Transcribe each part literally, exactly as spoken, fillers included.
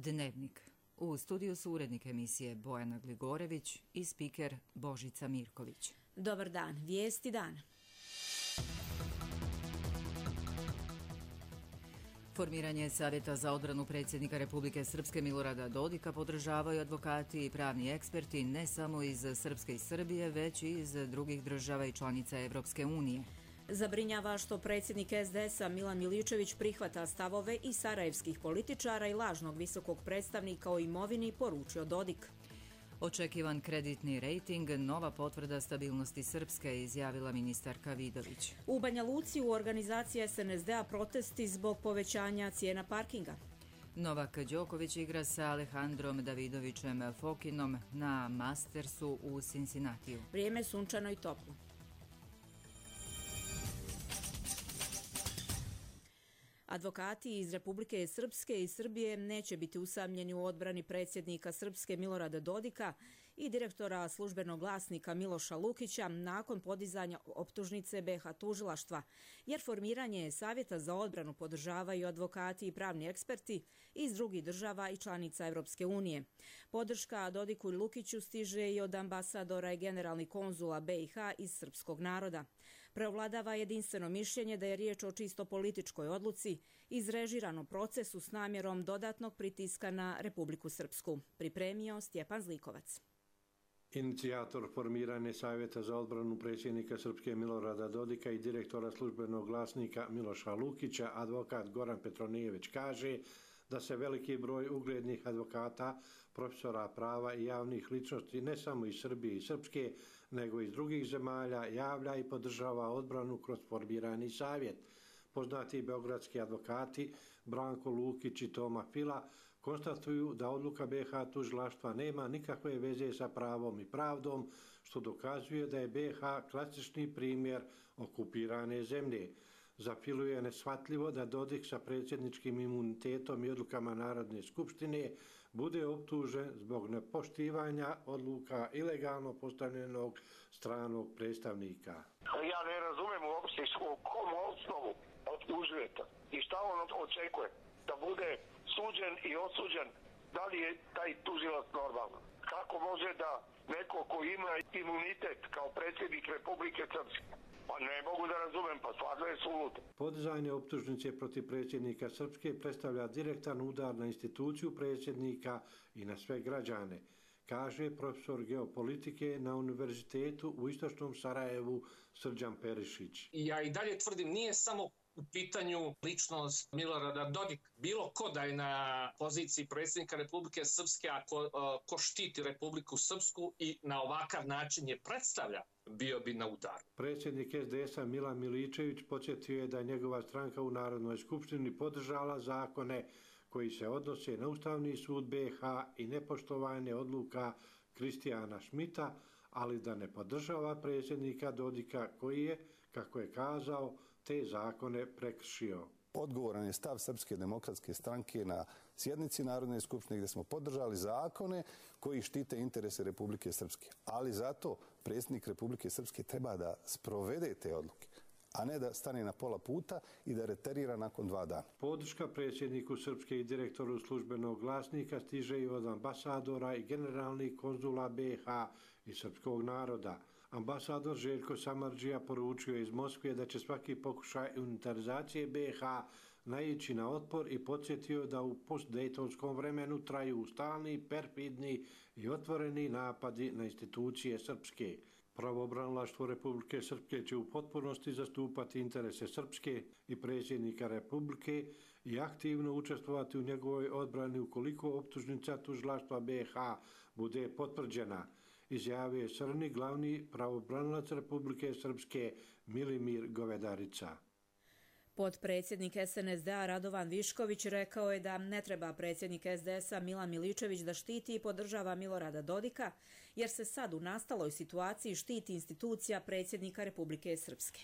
Dnevnik. U studiju su urednik emisije Bojana Gligorević i spiker Božica Mirković. Dobar dan, vijesti dana. Formiranje Savjeta za odbranu predsjednika Republike Srpske Milorada Dodika podržavaju advokati i pravni eksperti ne samo iz Srpske i Srbije, već i iz drugih država i članica Evropske unije. Zabrinjava što predsjednik es de es a Milan Miličević prihvata stavove i sarajevskih političara i lažnog visokog predstavnika o imovini, poručio Dodik. Očekivan kreditni rejting, nova potvrda stabilnosti Srpske, izjavila ministarka Vidović. U Banja Luci u organizaciji es en es de a protesti zbog povećanja cijena parkinga. Novak Đoković igra sa Alejandrom Davidovićem Fokinom na Mastersu u Cincinnatiju. Vrijeme je sunčano i toplo. Advokati iz Republike Srpske i Srbije neće biti usamljeni u odbrani predsjednika Srpske Milorada Dodika i direktora službenog glasnika Miloša Lukića nakon podizanja optužnice be ha tužilaštva, jer formiranje Savjeta za odbranu podržavaju advokati i pravni eksperti iz drugih država i članica Evropske unije. Podrška Dodiku i Lukiću stiže i od ambasadora i generalnih konzula be i ha iz srpskog naroda. Preovladava jedinstveno mišljenje da je riječ o čisto političkoj odluci, izrežiranom procesu s namjerom dodatnog pritiska na Republiku Srpsku. Pripremio Stjepan Zlikovac. Inicijator formiranja Savjeta za odbranu predsjednika Srpske Milorada Dodika i direktora službenog glasnika Miloša Lukića, advokat Goran Petronijević, kaže da se veliki broj uglednih advokata, profesora prava i javnih ličnosti ne samo iz Srbije i Srpske, nego i iz drugih zemalja javlja i podržava odbranu kroz formirani savjet. Poznati beogradski advokati Branko Lukić i Toma Fila konstatuju da odluka be ha tužilaštva nema nikakve veze sa pravom i pravdom, što dokazuje da je be ha klasični primjer okupirane zemlje. Za Filu je neshvatljivo da Dodik sa predsjedničkim imunitetom i odlukama Narodne skupštine bude optužen zbog nepoštivanja odluka ilegalno postavljenog stranog predstavnika. Ja ne razumem uopšte u kom osnovu optužujete i šta on očekuje, da bude suđen i osuđen, da li je taj tužilac normalno? Kako može da neko ko ima imunitet kao predsjednik Republike Srpske? Pa ne mogu da razumem, pa stvarno je suludo. Podizanje optužnice protiv predsjednika Srpske predstavlja direktan udar na instituciju predsjednika i na sve građane, kaže profesor geopolitike na Univerzitetu u Istočnom Sarajevu Srđan Perišić. Ja i dalje tvrdim, nije samo u pitanju ličnost Milorada Dodika. Bilo ko da je na poziciji predsjednika Republike Srpske, a ko, ko štiti Republiku Srpsku i na ovakav način je predstavlja, bio bi na udaru. Predsjednik es de es a Milan Miličević podsjetio je da je njegova stranka u Narodnoj skupštini podržala zakone koji se odnose na Ustavni sud be ha i nepoštovanje odluka Kristijana Šmita, ali da ne podržava predsjednika Dodika koji je, kako je kazao, te zakone prekršio. Odgovoran je stav Srpske demokratske stranke na sjednici Narodne skupštine gdje smo podržali zakone koji štite interese Republike Srpske. Ali zato predsjednik Republike Srpske treba da sprovede te odluke, a ne da stane na pola puta i da reterira nakon dva dana. Podrška predsjedniku Srpske i direktoru službenog glasnika stiže i od ambasadora i generalnih konzula be ha i srpskog naroda. Ambasador Željko Samardžija poručio iz Moskve da će svaki pokušaj unitarizacije be ha naići na otpor i podsjetio da u postdejtonskom vremenu traju stalni, perfidni i otvoreni napadi na institucije Srpske. Pravobranilaštvo Republike Srpske će u potpunosti zastupati interese Srpske i predsjednika Republike i aktivno učestvovati u njegovoj odbrani ukoliko optužnica tužilaštva be ha bude potvrđena, izjavio je Srni glavni pravobranilac Republike Srpske Milimir Govedarica. Potpredsjednik es en es de a Radovan Višković rekao je da ne treba predsjednik es de es a Milan Miličević da štiti i podržava Milorada Dodika, jer se sad u nastaloj situaciji štiti institucija predsjednika Republike Srpske.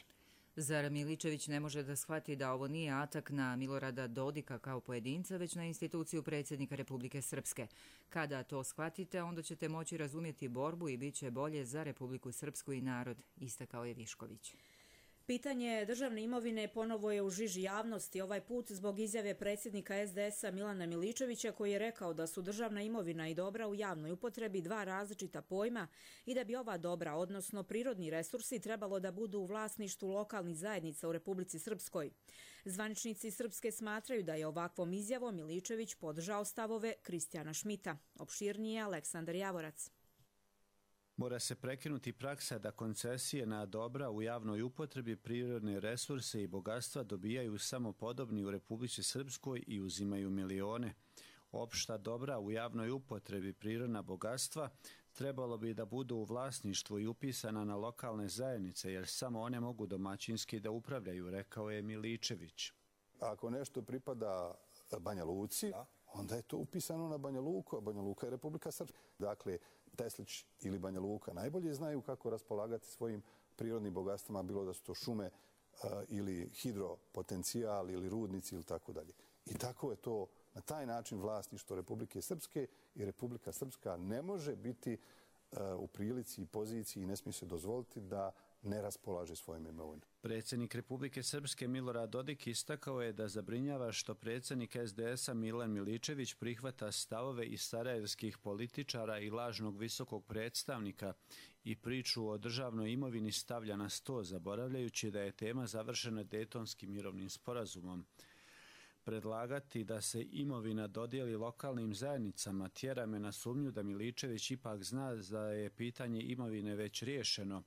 Zar Miličević ne može da shvati da ovo nije atak na Milorada Dodika kao pojedinca, već na instituciju predsjednika Republike Srpske? Kada to shvatite, onda ćete moći razumjeti borbu i bit će bolje za Republiku Srpsku i narod, istakao je Višković. Pitanje državne imovine ponovo je u žiži javnosti, ovaj put zbog izjave predsjednika es de es a Milana Miličevića koji je rekao da su državna imovina i dobra u javnoj upotrebi dva različita pojma i da bi ova dobra, odnosno prirodni resursi, trebalo da budu u vlasništvu lokalnih zajednica u Republici Srpskoj. Zvaničnici Srpske smatraju da je ovakvom izjavom Miličević podržao stavove Kristijana Šmita. Opširnije Aleksandar Javorac. Mora se prekinuti praksa da koncesije na dobra u javnoj upotrebi, prirodne resurse i bogatstva dobijaju samo podobni u Republici Srpskoj i uzimaju milione. Opšta dobra u javnoj upotrebi, prirodna bogatstva, trebalo bi da budu u vlasništvu i upisana na lokalne zajednice, jer samo one mogu domaćinski da upravljaju, rekao je Miličević. Ako nešto pripada Banja Luci, onda je to upisano na Banja Luku, a Banja Luka je Republika Srpska. Dakle, Teslić ili Banja Luka najbolje znaju kako raspolagati svojim prirodnim bogatstvima, bilo da su to šume ili hidropotencijal ili rudnici ili tako dalje. I tako je to na taj način vlasništvo Republike Srpske i Republika Srpska ne može biti u prilici i poziciji i ne smije se dozvoliti da ne raspolaže svojim imovinom. Predsjednik Republike Srpske Milorad Dodik istakao je da zabrinjava što predsjednik es de es a Milan Miličević prihvata stavove iz sarajevskih političara i lažnog visokog predstavnika i priču o državnoj imovini stavlja na sto, zaboravljajući da je tema završena Dejtonskim mirovnim sporazumom. Predlagati da se imovina dodijeli lokalnim zajednicama tjera me na sumnju da Miličević ipak zna da je pitanje imovine već riješeno,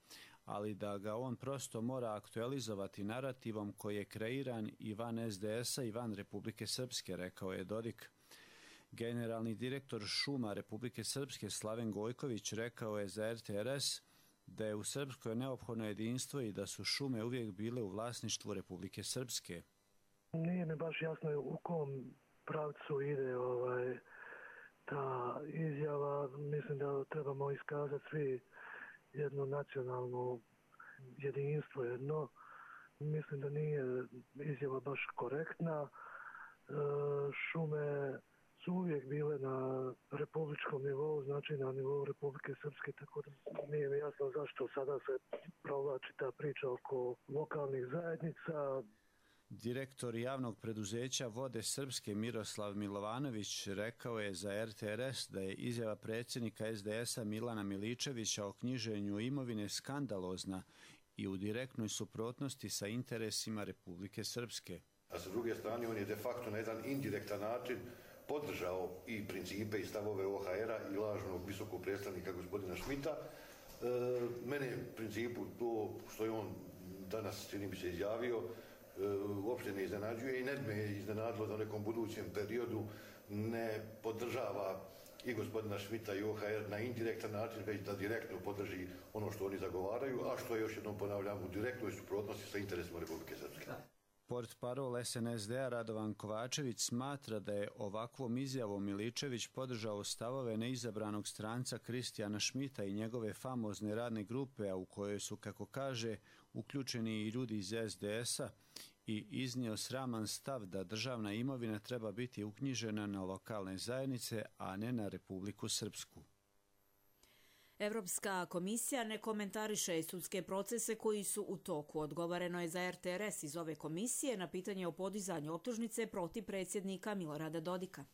ali da ga on prosto mora aktualizovati narativom koji je kreiran i van es de es a i van Republike Srpske, rekao je Dodik. Generalni direktor šuma Republike Srpske Slaven Gojković rekao je za er te er es da je u Srpskoj neophodno jedinstvo i da su šume uvijek bile u vlasništvu Republike Srpske. Nije mi baš jasno u kom pravcu ide ovaj, ta izjava. Mislim da trebamo iskazati svi jedno nacionalno jedinstvo jedno. Mislim da nije izjava baš korektna. E, šume su uvijek bile na republičkom nivou, znači na nivou Republike Srpske, tako da nije mi jasno zašto sada se provlači ta priča oko lokalnih zajednica. Direktor javnog preduzeća Vode Srpske Miroslav Milovanović rekao je za er te er es da je izjava predsjednika es de es a Milana Miličevića o knjiženju imovine skandalozna i u direktnoj suprotnosti sa interesima Republike Srpske. A sa druge strane, on je de facto na jedan indirektan način podržao i principe i stavove o ha era i lažnog visokog predstavnika gospodina Šmita. E, mene u principu to što je on danas, čini mi se, izjavio, uopšte ne iznenađuje i ne bi me iznenadilo da u nekom budućem periodu ne podržava i gospodina Šmita i o ha er na indirektan način, već da direktno podrži ono što oni zagovaraju, a što je, još jednom ponavljam, u direktnoj suprotnosti sa interesima Republike Srpske. Portparol es en es de a Radovan Kovačević smatra da je ovakvom izjavom Miličević podržao stavove neizabranog stranca Kristijana Šmita i njegove famozne radne grupe, a u kojoj su, kako kaže, uključeni i ljudi iz es de es a, i iznio sraman stav da državna imovina treba biti uknjižena na lokalne zajednice, a ne na Republiku Srpsku. Evropska komisija ne komentariše sudske procese koji su u toku. Odgovoreno je za er te er es iz ove komisije na pitanje o podizanju optužnice protiv predsjednika Milorada Dodika.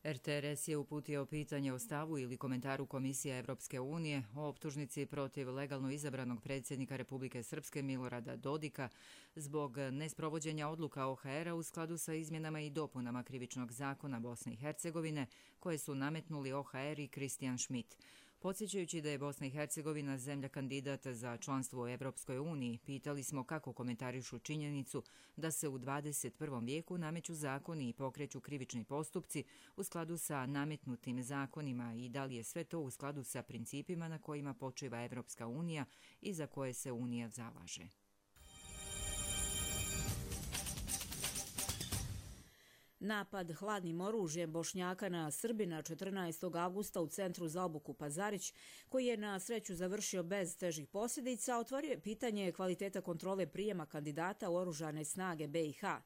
er te er es je uputio pitanje o stavu ili komentaru Komisije Evropske unije o optužnici protiv legalno izabranog predsjednika Republike Srpske Milorada Dodika zbog nesprovođenja odluka o ha era u skladu sa izmjenama i dopunama Krivičnog zakona Bosne i Hercegovine koje su nametnuli o ha er i Kristijan Šmit. Podsjećajući da je Bosna i Hercegovina zemlja kandidat za članstvo u Evropskoj uniji, pitali smo kako komentarišu činjenicu da se u dvadeset prvom vijeku nameću zakoni i pokreću krivični postupci u skladu sa nametnutim zakonima i da li je sve to u skladu sa principima na kojima počiva Evropska unija i za koje se Unija zalaže. Napad hladnim oružjem Bošnjaka na Srbina četrnaestog avgusta u centru za obuku Pazarić, koji je na sreću završio bez težih posljedica, otvorio je pitanje kvaliteta kontrole prijema kandidata u oružane snage be i ha.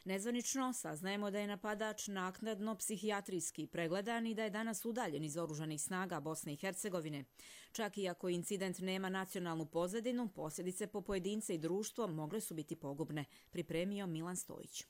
Nezvanično saznajemo da je napadač naknadno psihijatrijski pregledan i da je danas udaljen iz oružanih snaga Bosne i Hercegovine. Čak i ako incident nema nacionalnu pozadinu, posljedice po pojedince i društvo mogle su biti pogubne, pripremio Milan Stojić.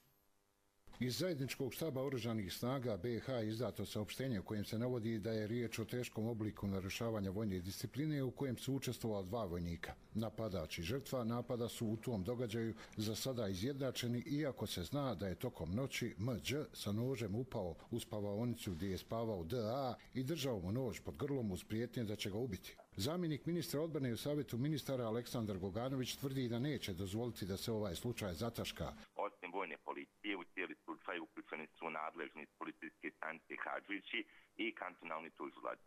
Iz zajedničkog štaba oružanih snaga B i H je izdato saopštenje u kojem se navodi da je riječ o teškom obliku narušavanja vojne discipline u kojem su učestvovala dva vojnika. Napadač i žrtva napada su u tom događaju za sada izjednačeni, iako se zna da je tokom noći M Đ sa nožem upao u spavaonicu gdje je spavao D A i držao mu nož pod grlom uz prijetnje da će ga ubiti. Zamjenik ministra odbrane u savjetu ministara Aleksandar Goganović tvrdi da neće dozvoliti da se ovaj slučaj zataška. Osim vojne policije, u cijeli slučaj uključeni su nadležni iz policijske stanice Hadžići i kantonalni tužilac.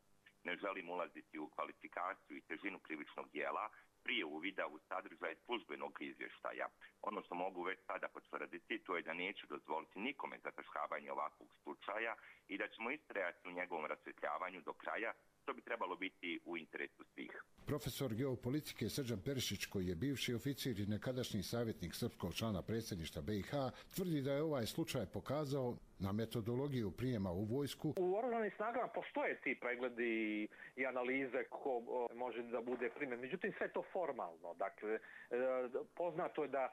Ne želim ulaziti u kvalifikaciju i težinu krivičnog djela prije uvida u sadržaj službenog izvještaja. Ono što mogu već sada potvrditi, to je da neću dozvoliti nikome zataškavanje ovakvog slučaja i da ćemo istrajati u njegovom rasvjetljavanju do kraja, što bi trebalo biti u interesu svih. Profesor geopolitike Srđan Perišić, koji je bivši oficir i nekadašnji savjetnik srpskog člana predsjedništva B i H, tvrdi da je ovaj slučaj pokazao na metodologiju prijema u vojsku. U oružanim snagama postoje ti pregledi i analize ko može da bude primjer. Međutim, sve to formalno. Dakle, poznato je da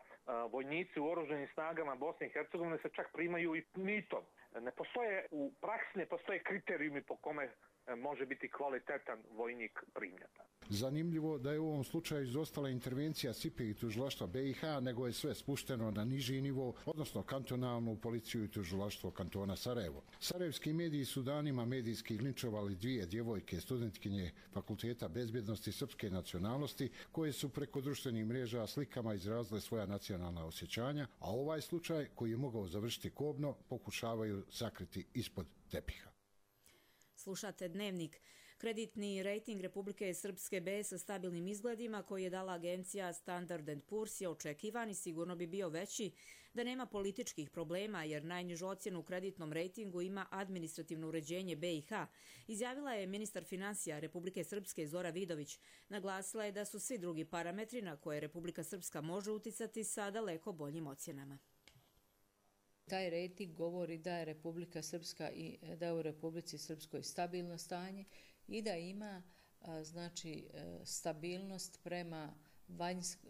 vojnici u oružanim snagama Bosne i Hercegovine se čak primaju i mitom. Ne postoje, u praksi ne postoje kriterijumi po kome može biti kvalitetan vojnik primljata. Zanimljivo da je u ovom slučaju izostala intervencija S I P E i tužilaštva B i H, nego je sve spušteno na niži nivo, odnosno kantonalnu policiju i tužilaštvo kantona Sarajevo. Sarajevski mediji su danima medijski linčovali dvije djevojke studentkinje Fakulteta bezbjednosti srpske nacionalnosti, koje su preko društvenih mreža slikama izrazile svoja nacionalna osjećanja, a ovaj slučaj, koji je mogao završiti kobno, pokušavaju sakriti ispod tepiha. Slušate Dnevnik. Kreditni rejting Republike Srpske B sa stabilnim izgledima koji je dala agencija Standard and Poor's je očekivan i sigurno bi bio veći da nema političkih problema, jer najnižu ocjenu u kreditnom rejtingu ima administrativno uređenje B i H, izjavila je ministar finansija Republike Srpske Zora Vidović. Naglasila je da su svi drugi parametri na koje Republika Srpska može uticati sa daleko boljim ocjenama. Taj rejting govori da je Republika Srpska i da je u Republici Srpskoj stabilno stanje i da ima znači stabilnost prema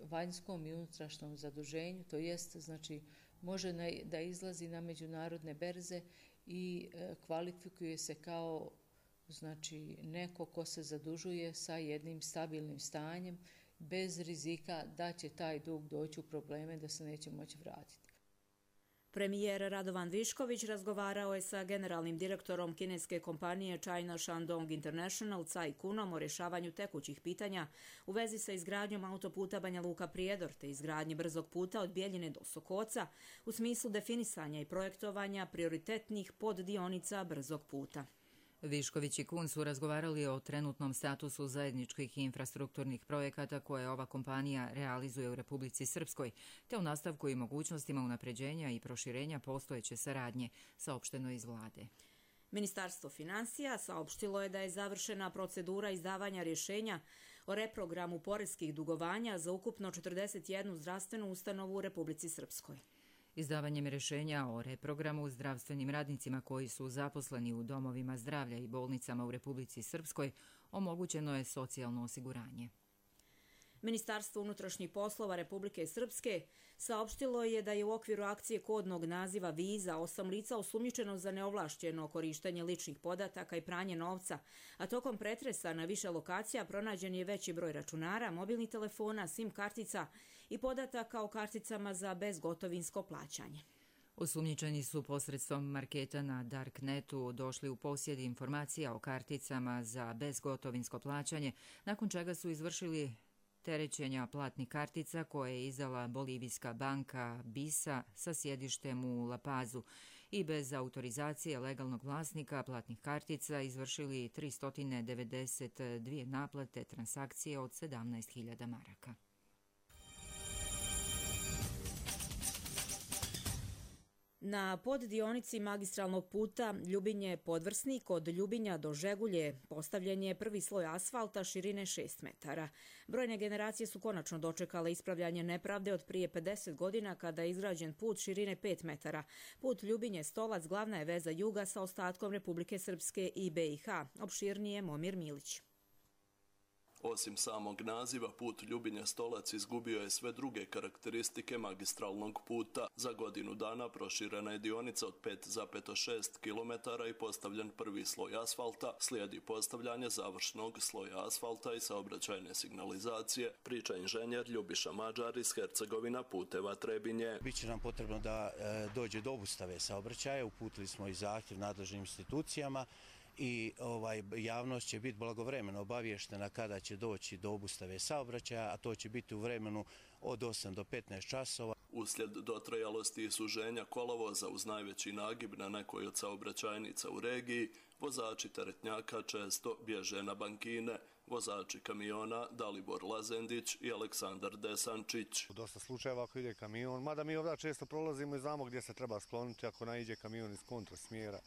vanjskom i unutrašnjem zaduženju, to jest znači može da izlazi na međunarodne berze i kvalifikuje se kao znači neko ko se zadužuje sa jednim stabilnim stanjem bez rizika da će taj dug doći u probleme da se neće moći vratiti. Premijer Radovan Višković razgovarao je sa generalnim direktorom kineske kompanije China Shandong International Cai Kunom o rješavanju tekućih pitanja u vezi sa izgradnjom autoputa Banja Luka Prijedor te izgradnji brzog puta od Bjeljine do Sokoca u smislu definisanja i projektovanja prioritetnih poddionica brzog puta. Višković i Kun su razgovarali o trenutnom statusu zajedničkih infrastrukturnih projekata koje ova kompanija realizuje u Republici Srpskoj, te o nastavku i mogućnostima unapređenja i proširenja postojeće saradnje, saopšteno iz vlade. Ministarstvo finansija saopštilo je da je završena procedura izdavanja rješenja o reprogramu poreskih dugovanja za ukupno četrdeset jednu zdravstvenu ustanovu u Republici Srpskoj. Izdavanjem rješenja o reprogramu zdravstvenim radnicima koji su zaposleni u domovima zdravlja i bolnicama u Republici Srpskoj omogućeno je socijalno osiguranje. Ministarstvo unutrašnjih poslova Republike Srpske saopštilo je da je u okviru akcije kodnog naziva Viza osam lica osumnjičeno za neovlašćeno korištenje ličnih podataka i pranje novca, a tokom pretresa na više lokacija pronađen je veći broj računara, mobilnih telefona, SIM kartica i podataka o karticama za bezgotovinsko plaćanje. Osumnjičeni su posredstvom marketa na Darknetu došli u posjed informacija o karticama za bezgotovinsko plaćanje, nakon čega su izvršili terećenja platnih kartica koje je izdala bolivijska banka Bisa sa sjedištem u La Pazu i bez autorizacije legalnog vlasnika platnih kartica izvršili tristo devedeset dvije naplate transakcije od sedamnaest hiljada maraka. Na poddionici magistralnog puta Ljubinje-Podvrsnik od Ljubinja do Žegulje postavljen je prvi sloj asfalta širine šest metara. Brojne generacije su konačno dočekale ispravljanje nepravde od prije pedeset godina kada je izgrađen put širine pet metara. Put Ljubinje-Stolac glavna je veza juga sa ostatkom Republike Srpske i B i H. Opširnije Momir Milić. Osim samog naziva, put Ljubinje-Stolac izgubio je sve druge karakteristike magistralnog puta. Za godinu dana proširena je dionica od pet zarez šest kilometara i postavljen prvi sloj asfalta. Slijedi postavljanje završnog sloja asfalta i saobraćajne signalizacije, priča inženjer Ljubiša Mađar iz Hercegovina puteva Trebinje. Biće nam potrebno da e, dođe do obustave saobraćaja. Uputili smo i zahtjev nadležnim institucijama i ovaj, javnost će biti blagovremeno obavještena kada će doći do obustave saobraćaja, a to će biti u vremenu od osam do petnaest časova. Uslijed dotrajalosti i suženja kolovoza uz najveći nagib na nekoj od saobraćajnica u regiji, vozači teretnjaka često bježe na bankine. Vozači kamiona Dalibor Lazendić i Aleksandar Desančić. U dosta slučajeva ako ide kamion, mada mi ovdje često prolazimo i znamo gdje se treba skloniti ako naiđe kamion iz kontrasmjera.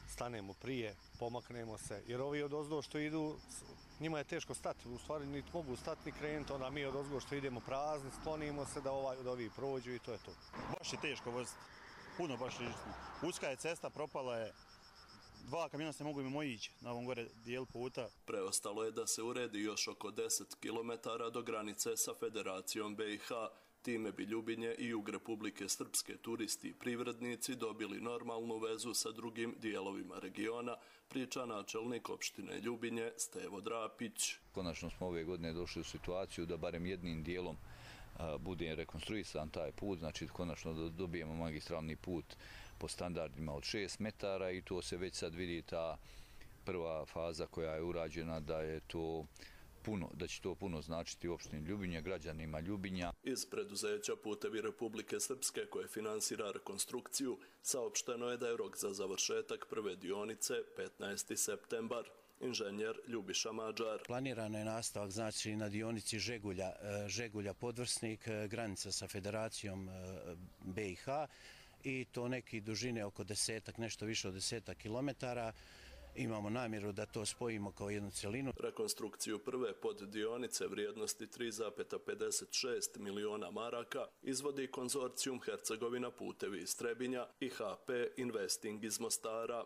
Stanemo prije, pomaknemo se, jer ovi od ozdo što idu, njima je teško stati, u stvari niti mogu stati ni krenuti, onda mi od ozgo što idemo prazni, sklonimo se da ovaj od ovih prođu i to je to. Baš je teško voziti, puno baš rižitno. Uska je cesta, propala je, dva kamiona se mogu mimo ići na ovom gore dijelu puta. Preostalo je da se uredi još oko deset kilometara do granice sa Federacijom B i H. Time bi Ljubinje i jug Republike Srpske turisti i privrednici dobili normalnu vezu sa drugim dijelovima regiona, priča načelnik opštine Ljubinje Stevo Drapić. Konačno smo ove godine došli u situaciju da barem jednim dijelom a, bude rekonstruisan taj put, znači konačno da dobijemo magistralni put po standardima od šest metara i to se već sad vidi ta prva faza koja je urađena da je to puno, da će to puno značiti u opštini Ljubinje, građanima Ljubinja. Iz preduzeća Putevi Republike Srpske koje finansira rekonstrukciju saopšteno je da je rok za završetak prve dionice petnaesti septembar. Inženjer Ljubiša Mađar. Planirano je nastavak znači na dionici Žegulja, Žegulja Podvrsnik, granica sa Federacijom B i H i to neki dužine oko desetak, nešto više od desetak kilometara. Imamo namjeru da to spojimo kao jednu celinu. Rekonstrukciju prve poddionice vrijednosti tri zarez pedeset šest miliona maraka izvodi konzorcijum Hercegovina putevi iz Trebinja i H P Investing iz Mostara.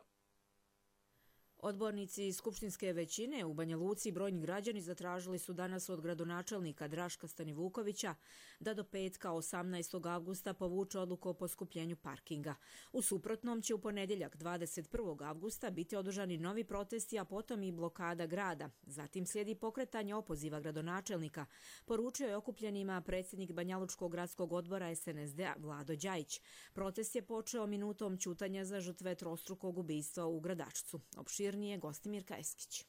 Odbornici skupštinske većine u Banja Luci i brojni građani zatražili su danas od gradonačelnika Draška Stanivukovića da do petka osamnaestog avgusta povuče odluku o poskupljenju parkinga. U suprotnom će u ponedjeljak dvadeset prvog avgusta biti održani novi protesti, a potom i blokada grada. Zatim slijedi pokretanje opoziva gradonačelnika, poručio je okupljenima predsjednik Banjalučkog gradskog odbora S N S D-a Vlado Đajić. Protest je počeo minutom ćutanja za žrtve trostrukog ubistva u Gradačcu. Opširnije Gostimirka Eskić.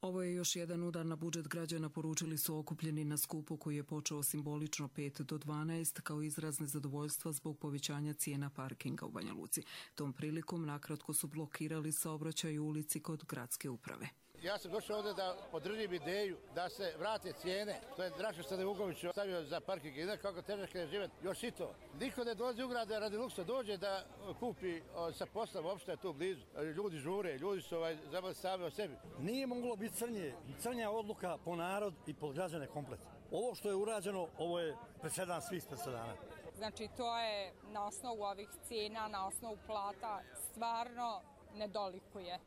Ovo je još jedan udar na budžet građana, poručili su okupljeni na skupu koji je počeo simbolično pet do dvanaest kao izraz nezadovoljstva zbog povećanja cijena parkinga u Banja Luci. Tom prilikom nakratko su blokirali saobraćaj u ulici kod gradske uprave. Ja sam došao ovdje da podržim ideju da se vrate cijene. To je Draško Stanivuković stavio za parking. I kako težak je život. Još i to. Niko ne dolazi u grad radi luksa. Dođe da kupi sa poslom, uopšte je tu blizu. Ljudi žure, ljudi su ovaj, zabavili sami o sebi. Nije moglo biti crnje. Crnja odluka po narod i po građane komplet. Ovo što je urađeno, ovo je presedan svih presedana. Znači to je na osnovu ovih cijena, na osnovu plata, stvarno ne dolikuje.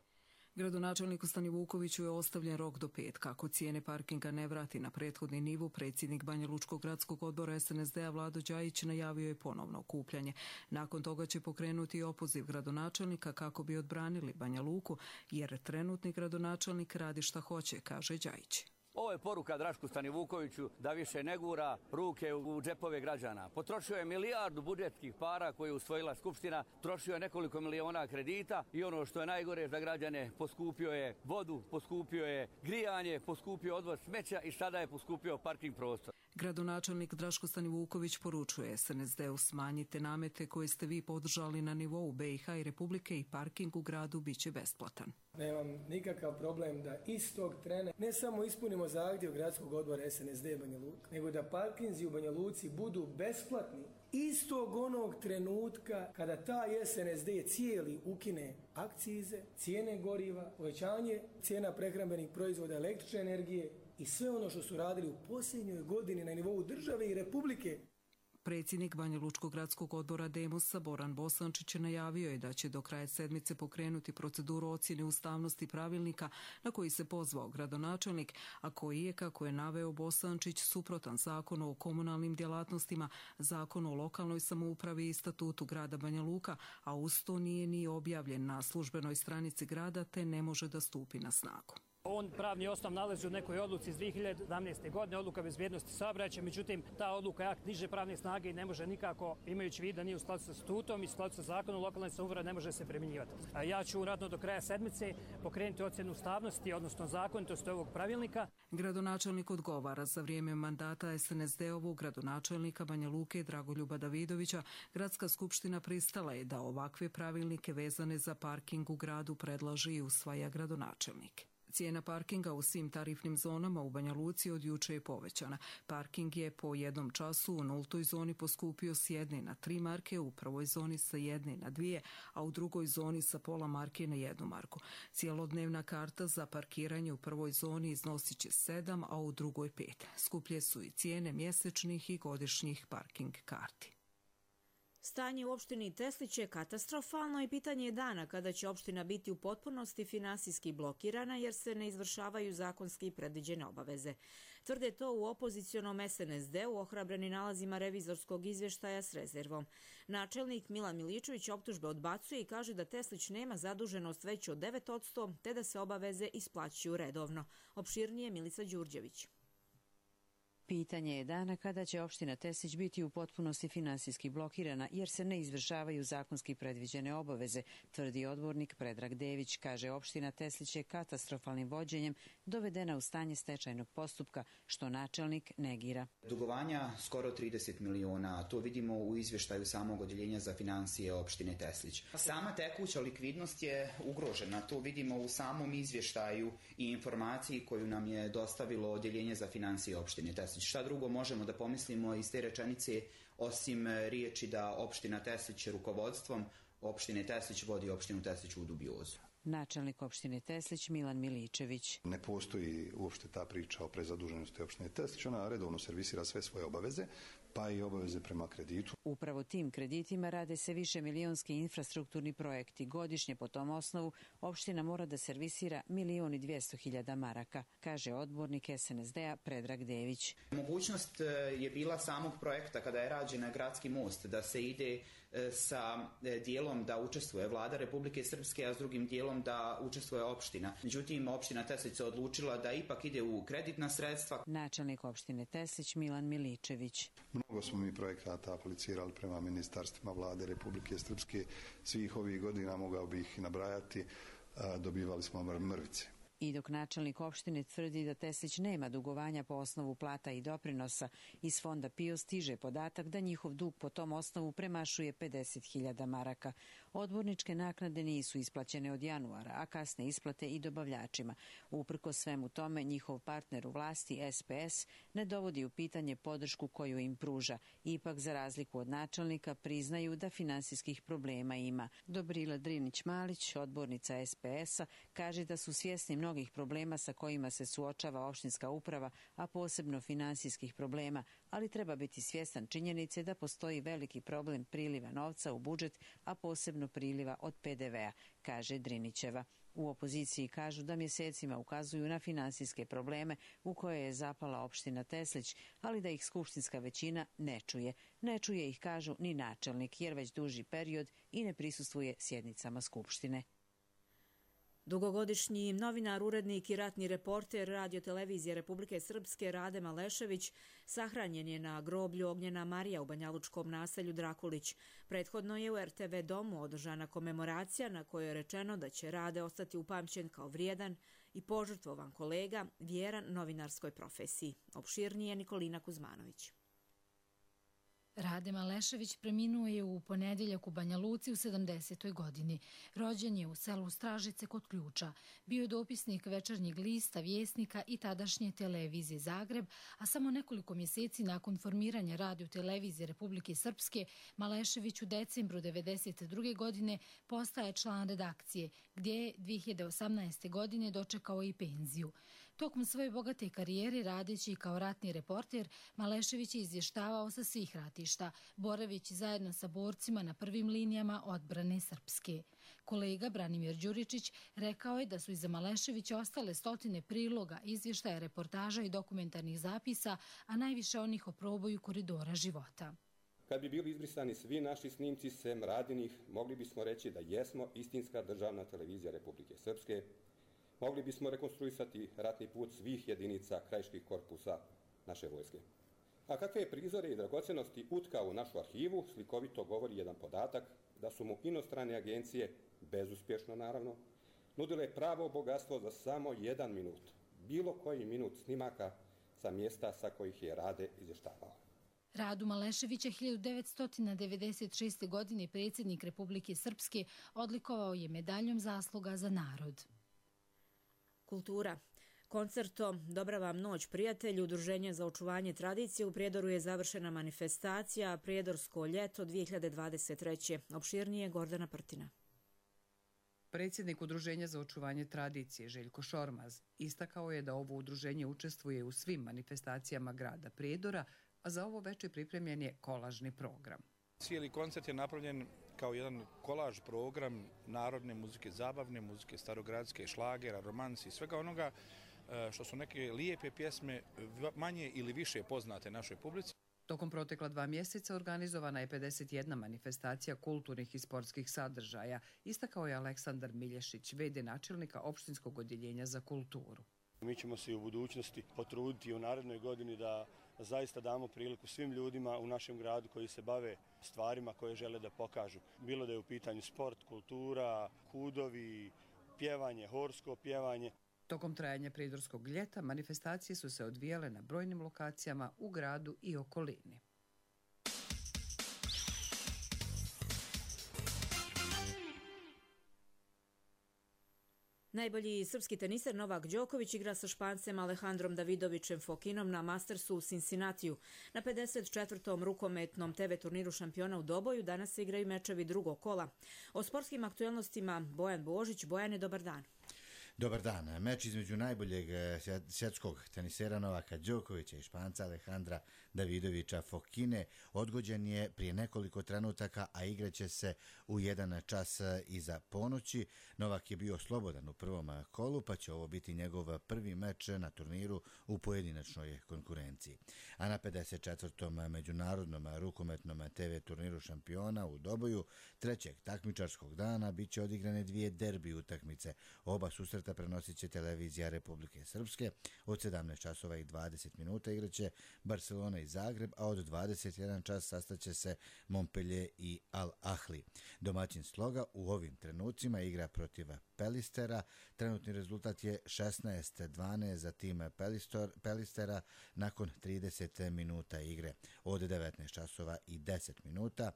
Gradonačelniku Stanivukoviću je ostavljen rok do petka. Ako cijene parkinga ne vrati na prethodni nivo, predsjednik Banjalučkog gradskog odbora S N S D-a Vlado Đajić najavio je ponovno okupljanje. Nakon toga će pokrenuti opoziv gradonačelnika kako bi odbranili Banja Luku, jer trenutni gradonačelnik radi šta hoće, kaže Đajić. Ovo je poruka Drašku Stanivukoviću da više ne gura ruke u džepove građana. Potrošio je milijardu budžetskih para koje je usvojila Skupština, trošio je nekoliko miliona kredita i ono što je najgore za građane, poskupio je vodu, poskupio je grijanje, poskupio odvoz smeća i sada je poskupio parking prostor. Gradonačelnik Draško Stanivuković poručuje S N S D-u smanjite namete koje ste vi podržali na nivou B i H i Republike i parking u gradu biće besplatan. Nemam nikakav problem da istog trena ne samo ispunimo zahtjev gradskog odbora S N S D Banja Luka, nego da parkinzi u Banja Luci budu besplatni istog onog trenutka kada taj S N S D cijeli ukine akcize, cijene goriva, povećanje cijena prehrambenih proizvoda, električne energije i sve ono što su radili u posljednjoj godini na nivou države i republike. Predsjednik Banja Lučkog gradskog odbora Demosa Boran Bosančić najavio je da će do kraja sedmice pokrenuti proceduru ocjene ustavnosti pravilnika na koji se pozvao gradonačelnik, a koji je, kako je naveo Bosančić, suprotan zakonu o komunalnim djelatnostima, zakonu o lokalnoj samoupravi i statutu grada Banja Luka, a uz to nije ni objavljen na službenoj stranici grada te ne može da stupi na snagu. On pravni osnov nalazi u nekoj odluci iz dvije hiljade sedamnaeste. godine, odluka bezbjednosti saobraćaja, međutim ta odluka je akt niže pravne snage i ne može nikako, imajući vid da nije u skladu sa statutom i u skladu sa zakonom, lokalne samouprave ne može se primjenjivati. Ja ću uradno do kraja sedmice pokrenuti ocjenu ustavnosti, odnosno zakonitosti ovog pravilnika. Gradonačelnik odgovara za vrijeme mandata S N S D-ovog gradonačelnika Banja Luke Dragoljuba Davidovića. Gradska skupština pristala je da ovakve pravilnike vezane za parking u gradu predlaže i usvaja gradonačelnik. Cijena parkinga u svim tarifnim zonama u Banja Luci od juče je povećana. Parking je po jednom času u nultoj zoni poskupio s jedne na tri marke, u prvoj zoni sa jedne na dvije, a u drugoj zoni sa pola marke na jednu marku. Cijelodnevna karta za parkiranje u prvoj zoni iznosit će sedam, a u drugoj pet. Skuplje su i cijene mjesečnih i godišnjih parking karti. Stanje u opštini Teslić je katastrofalno i pitanje je dana kada će opština biti u potpunosti finansijski blokirana jer se ne izvršavaju zakonski predviđene obaveze. Tvrde to u opozicionom S N S D-u ohrabreni nalazima revizorskog izvještaja s rezervom. Načelnik Milan Miličević optužbe odbacuje i kaže da Teslić nema zaduženost veću od devet posto te da se obaveze isplaćuju redovno. Opširnije Milica Đurđević. Pitanje je dana kada će opština Teslić biti u potpunosti finansijski blokirana jer se ne izvršavaju zakonski predviđene obaveze, tvrdi odbornik Predrag Dević. Kaže, opština Teslić je katastrofalnim vođenjem dovedena u stanje stečajnog postupka, što načelnik negira. Dugovanja skoro trideset miliona, to vidimo u izvještaju samog odjeljenja za financije opštine Teslić. Sama tekuća likvidnost je ugrožena, to vidimo u samom izvještaju i informaciji koju nam je dostavilo odjeljenje za financije opštine Teslić. Šta drugo možemo da pomislimo iz te rečenice osim riječi da opština Teslić rukovodstvom opštine Teslić vodi opštinu Teslić u dubiozu. Načelnik opštine Teslić Milan Miličević. Ne postoji uopšte ta priča o prezaduženosti opštine Teslić, ona redovno servisira sve svoje obaveze, pa i obaveze prema kreditu. Upravo tim kreditima rade se više milionski infrastrukturni projekti. Godišnje po tom osnovu opština mora da servisira milion i dvjesto hiljada maraka, kaže odbornik S N S D-a Predrag Dević. Mogućnost je bila samog projekta kada je rađen gradski most, da se ide sa dijelom da učestvuje vlada Republike Srpske, a s drugim dijelom da učestvuje opština. Međutim, opština Teslić se odlučila da ipak ide u kreditna sredstva. Načelnik opštine Teslić Milan Miličević. Mnogo smo mi projekata aplicirali prema ministarstvima vlade Republike Srpske. Svih ovih godina mogao bi ih nabrajati, dobivali smo mrvice. I dok načelnik opštine tvrdi da Teslić nema dugovanja po osnovu plata i doprinosa, iz fonda P I O stiže podatak da njihov dug po tom osnovu premašuje pedeset hiljada maraka. Odborničke naknade nisu isplaćene od januara, a kasne isplate i dobavljačima. Uprko svemu tome, njihov partner u vlasti, S P S, ne dovodi u pitanje podršku koju im pruža. Ipak, za razliku od načelnika, priznaju da finansijskih problema ima. Dobrila Drinić-Malić, odbornica S P S-a, kaže da su svjesni mnogih problema sa kojima se suočava opštinska uprava, a posebno finansijskih problema, ali treba biti svjestan činjenice da postoji veliki problem priliva novca u budžet, a posebno priliva od P D V-a, kaže Drinićeva. U opoziciji kažu da mjesecima ukazuju na finansijske probleme u koje je zapala opština Teslić, ali da ih skupštinska većina ne čuje. Ne čuje ih, kažu, ni načelnik, jer već duži period i ne prisustvuje sjednicama skupštine. Dugogodišnji novinar, urednik i ratni reporter Radio-televizije Republike Srpske Rade Malešević sahranjen je na groblju Ognjena Marija u banjalučkom naselju Drakulić. Prethodno je u R T V domu održana komemoracija na kojoj je rečeno da će Rade ostati upamćen kao vrijedan i požrtvovan kolega, vjeran novinarskoj profesiji. Opširnije Nikolina Kuzmanović. Rade Malešević preminuo je u ponedjeljak u Banja Luci u sedamdesetoj godini. Rođen je u selu Stražice kod Ključa. Bio je dopisnik Večernjeg lista, Vjesnika i tadašnje televizije Zagreb, a samo nekoliko mjeseci nakon formiranja radio-televizije Republike Srpske, Malešević u decembru devedeset druge godine postaje član redakcije, gdje je dvije hiljade osamnaeste. godine dočekao i penziju. Tokom svoje bogate karijere, radeći kao ratni reporter, Malešević je izvještavao sa svih ratišta, boravići zajedno sa borcima na prvim linijama odbrane Srpske. Kolega Branimir Đuričić rekao je da su iza Maleševića ostale stotine priloga, izvještaja, reportaža i dokumentarnih zapisa, a najviše onih o proboju koridora života. Kad bi bili izbrisani svi naši snimci sem Radinih, mogli bismo reći da jesmo istinska državna televizija Republike Srpske. Mogli bismo rekonstruisati ratni put svih jedinica krajiških korpusa naše vojske. A kakve je prizore i dragocenosti utkao u našu arhivu, slikovito govori jedan podatak da su mu inostrane agencije, bezuspješno naravno, nudile pravo bogatstvo za samo jedan minut, bilo koji minut snimaka sa mjesta sa kojih je Rade izvještavao. Radu Maleševića hiljadu devetsto devedeset šeste. godine predsjednik Republike Srpske odlikovao je medaljom zasluga za narod. Kultura. Koncertom Dobra vam noć, prijatelji, Udruženje za očuvanje tradicije u Prijedoru je završena manifestacija Prijedorsko ljeto dvije hiljade dvadeset treće. Opširnije Gordana Prtina. Predsjednik Udruženja za očuvanje tradicije Željko Šormaz istakao je da ovo udruženje učestvuje u svim manifestacijama grada Prijedora, a za ovo večer pripremljen je kolažni program. Cijeli koncert je napravljen kao jedan kolaž program narodne muzike, zabavne muzike, starogradske, šlagera, romansi, svega onoga što su neke lijepe pjesme, manje ili više poznate našoj publici. Tokom protekla dva mjeseca organizovana je pedeset jedna manifestacija kulturnih i sportskih sadržaja, istakao je Aleksandar Milješić, ve de načelnika opštinskog odjeljenja za kulturu. Mi ćemo se i u budućnosti potruditi u narednoj godini da zaista damo priliku svim ljudima u našem gradu koji se bave stvarima koje žele da pokažu. Bilo da je u pitanju sport, kultura, kudovi, pjevanje, horsko pjevanje. Tokom trajanja Prijedorskog ljeta manifestacije su se odvijale na brojnim lokacijama u gradu i okolini. Najbolji srpski teniser Novak Đoković igra sa Špancem Alejandrom Davidovićem Fokinom na Mastersu u Cincinnatiju. Na pedeset četvrtom rukometnom te ve turniru šampiona u Doboju danas se igraju mečevi drugog kola. O sportskim aktuelnostima Bojan Božić. Bojane, dobar dan. Dobar dan. Meč između najboljeg svjetskog tenisera Novaka Đokovića i Španca Alejandra Davidovića Fokine odgođen je prije nekoliko trenutaka, a igraće se u jedan čas iza ponoći. Novak je bio slobodan u prvom kolu, pa će ovo biti njegov prvi meč na turniru u pojedinačnoj konkurenciji. A na pedeset četvrtom međunarodnom rukometnom te ve turniru šampiona u Doboju trećeg takmičarskog dana bit će odigrane dvije derbi utakmice. Oba susreta prenosit će televizija Republike Srpske. Od sedamnaest časova i dvadeset minuta igraće Barcelona i Zagreb, a od dvadeset jedan čas sastaće se Montpellier i Al Ahli. Domaćin Sloga u ovim trenucima igra protiv Pelistera. Trenutni rezultat je šesnaest dvanaest za tim Pelistera nakon trideset minuta igre. Od devetnaest časova i deset minuta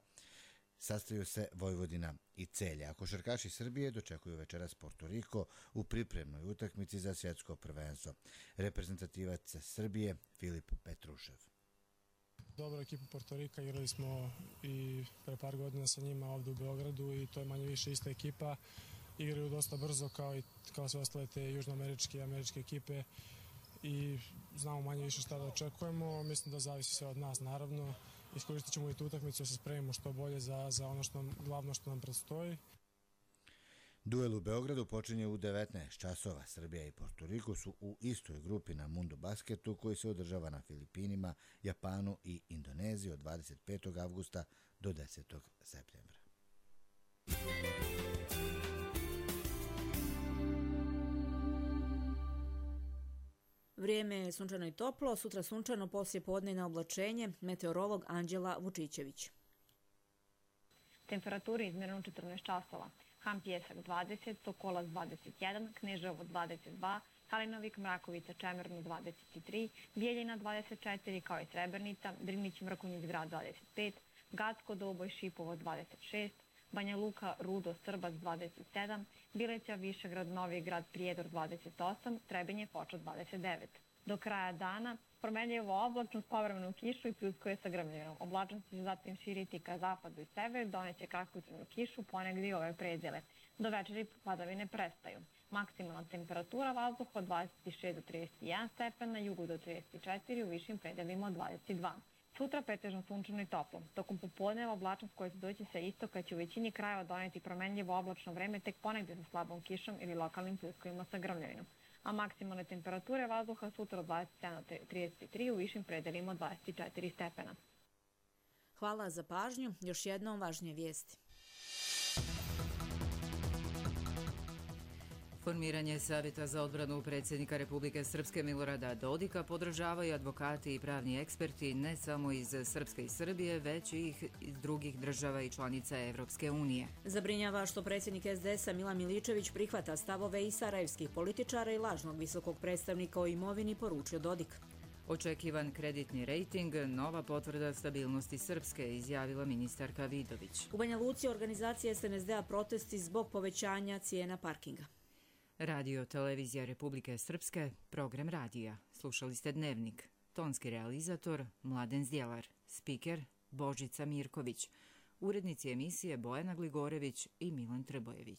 sastaju se Vojvodina i Celje. A košarkaši Srbije dočekuju večeras Porto Riko u pripremnoj utakmici za svjetsko prvenstvo. Reprezentativac Srbije Filip Petrušev. Dobro ekipu Porto Rika, igrali smo i pre par godina sa njima ovdje u Beogradu i to je manje više ista ekipa. Igraju dosta brzo kao i kao sve ostale te južnoameričke i američke ekipe i znamo manje više šta da očekujemo. Mislim da zavisi sve od nas, naravno. Iskoristit ćemo i tu utakmicu da se spremimo što bolje za, za ono što nam, glavno što nam predstoji. Duel u Beogradu počinje u devetnaest časova. Srbija i Porto Riko su u istoj grupi na Mundo Basketu koji se održava na Filipinima, Japanu i Indoneziji od dvadeset petog avgusta do desetog septembra. Vrijeme je sunčano i toplo, sutra sunčano, poslije podne na oblačenje, meteorolog Anđela Vučićević. Temperaturi izmjereno četrnaest časova. Han Pjesak dvadeset, Sokolac dvadeset jedan, Kneževo dvadeset dva, Kalinovik, Mrakovica, Čemernu dvadeset tri, Bijeljina dvadeset četiri, kao i Srebrnica, Drnić, Mrkonjić Grad dvadeset pet, Gacko, Doboj, Šipovo dvadeset šest, Banja Luka, Rudo, Srbac dvadeset sedam, Bileća, Višegrad, Novi Grad, Prijedor dvadeset osam, Trebinje, Foča dvadeset devet. Do kraja dana promenljivo oblačno s povremenom kišu i pljuskuje sa grmljevinom. Oblačnost će zatim širiti ka zapadu i severu, doneće kratkotrajnu kišu, ponegdje i ove predjele. Do večeri padavine prestaju. Maksimalna temperatura vazduha od dvadeset šest do trideset jedan stepen, na jugu do trideset četiri, u višim predelima od dvadeset dva. Sutra pretežno sunčano i toplo. Tokom popodneva oblačnost koja će doći sa istoka će u većini krajeva doneti promenljivo oblačno vreme, tek ponegdje sa slabom kišom ili lokalnim pljuskovima sa grmljevinom. A maksimalne temperature vazduha sutra od dvadeset sedam do trideset tri, u višim predelima od dvadeset četiri stepena. Hvala za pažnju. Još jednom važnije vijesti. Formiranje Savjeta za odbranu predsjednika Republike Srpske Milorada Dodika podržavaju advokati i pravni eksperti ne samo iz Srpske i Srbije, već i iz drugih država i članica Evropske unije. Zabrinjava što predsjednik es de es-a Milan Miličević prihvata stavove i sarajevskih političara i lažnog visokog predstavnika o imovini, poručio Dodik. Očekivan kreditni rejting, nova potvrda stabilnosti Srpske, izjavila ministarka Vidović. U Banja Luci organizacija es en es de-a protesti zbog povećanja cijena parkinga. Radio Televizija Republike Srpske, program radija. Slušali ste Dnevnik. Tonski realizator Mladen Zdjelar. Spiker Božica Mirković. Urednici emisije Bojana Gligorević i Milan Trbojević.